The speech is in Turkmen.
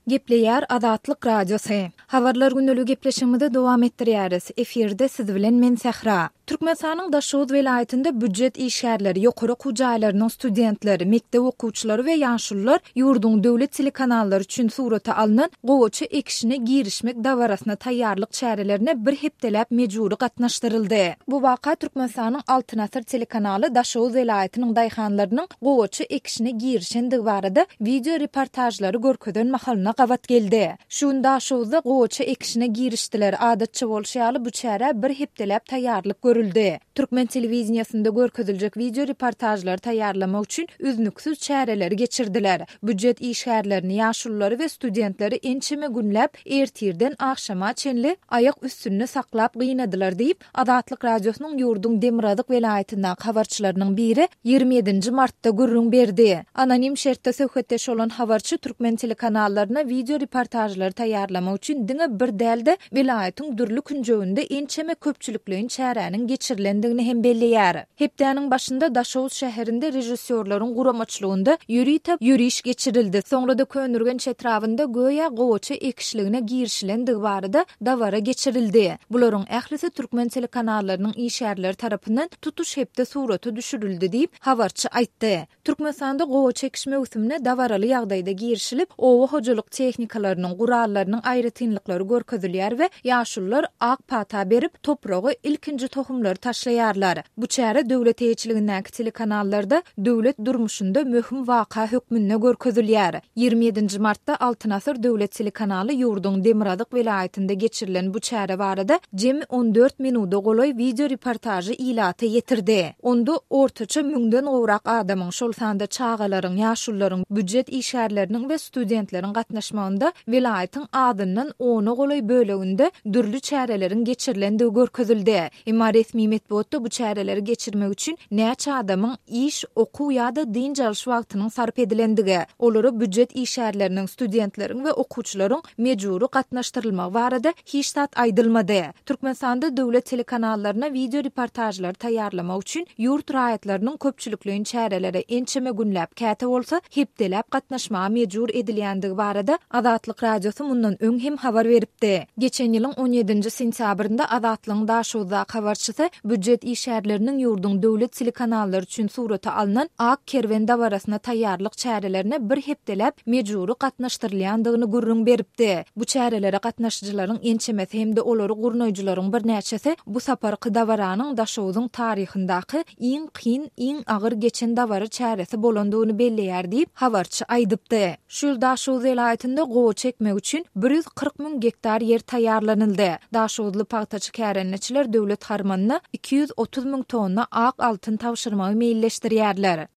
Gepleýär Azatlyk Radiosy. Habarlar gündeligi gepleşigimizi dowam etdirýäris. Efirde siz bilen men Sähra. Türkmenistanyň Daşoguz welaýatynda býujet işgärleri, ýokary okuw jaýlarynyň studentleri, mekdep okuwçylary we ýaşulular ýurduň döwlet telekanallary üçin surata alnan gowaça ekişine girişmek dabarasyna taýýarlyk çärelerine bir hepdeläp mejbury gatnaşdyryldy. Bu waka Türkmenistanyň Altyn asyr telekanaly Daşoguz welaýatynyň daýhanlarynyň gowaça ekişine girişendigi barada wideo reportažlary görkezen mahalyna gabat geldi. Şu gün Daşoguzda gowaça ekişine girişdiler. Adatça bolşy ýaly, bu çärä bir hepdeläp taýýarlyk görüldi. Türkmen telewideniýesinde görkeziljek wideo reportažlary taýýarlamak üçin üznüksiz çäreleri geçirdiler. Býujet işgärlerini, ýaşululary we studentleri ençeme günläp ertirden agşama çenli aýak üstünde saklap gynadylar diýip, Azatlyk Radiosynyň ýurduň demirgazyk welaýatyndaky habarçylarynyň biri 27 nji martda gürrüň berdi. Anonim şertde söhbetdeş bolan habarçy türkmen telekanallaryna wideo reportažlary taýýarlamak üçin diňe bir däl-de, welaýatyň dürli künjeginde ençeme köpçülikleýin çäräniň geçirilendigini hem belleýär. Hepdäniň başynda Daşoguz şäherinde režissýorlaryň guramaçylygynda ýörite ýöriş geçirildi. Soňra-da Köneürgenç etrabynda göýä gowaça ekişligine girişilendigi barada dabara geçirildi. Bularyň ählisi türkmen telekanallarynyň işgärleri tarapyndan tutuş hepde surata düşürildi diýip, habarçy aýtdy. Türkmenistanda gowaça ekiş möwsümine dabaraly ýagdaýda girişilip, oba hojalyk tehnikalarynyň, gurallarynyň aýratynlyklary görkezilýär we ýaşulular ak pata berip, topraga ilkinji tohumlary taşlaýarlar. Bu çäre döwlet eýeçiligindäki telekanallarda döwlet durmuşynda möhüm waka hökmünde görkezilýär. 27 nji martda Altyn asyr döwlet telekanaly ýurduň demirgazyk welaýatynda geçirilen bu çäre barada jemi 14 minuda golaý wideo reportažy ilata ýetirdi. Onda ortaça müňden gowrak adamyň, şol sanda çagalaryň, ýaşulularyň, býujet işgärleriniň we studentleriň gatnaşmagynda welaýatyň azyndan ona golaý böleginde dürli çäreleriň geçirilendigi görkezildi. Emma resmi metbugatda bu çäreleri geçirmek üçin näçe adamyň iş, okuw ýa-da dynç alyş wagtynyň sarp edilendigi, olara býujet işgärleriniň, studentleriň we okuwçylaryň mejbury gatnaşdyrylmagy barada hiç zat aýdylmady. Türkmenistanda döwlet telekanallaryna wideo reportažlary taýýarlamak üçin ýurt raýatlarynyň köpçülikleýin çärelere ençeme günläp, käte bolsa hepdeläp gatnaşmaga mejbur edilýändigi barada Azatlyk Radiosy mundan öň hem habar beripdi. Geçen ýylyň on ýedinji sentýabrynda Azatlygyň Daşoguzdaky habarçysy býujet işgärleriniň ýurduň döwlet telekanallary üçin surata alnan Ak kerwen dabarasyna taýýarlyk çärelerine bir hepdeläp mejbury gatnaşdyrylýandygyny gürrüň beripdi. Bu çärelere gatnaşyjylaryň ençemesi hem-de olary gurnaýjylaryň birnäçesi bu saparky dabaranyň Daşoguzyň taryhyndaky iň kyn, iň agyr geçen dabara çäresi bolandygyny belleýär diýip, habarçy aýdypdy. Şu ýyl Daşoguz welaýatynda gowaça ekmek üçin 140 müň gektar ýer taýýarlanyldy. Daşoguzly pagtaçy kärendeçiler döwlet harmanyna 230 müň tonna ak altyn tabşyrmagy meýilleşdirýärler.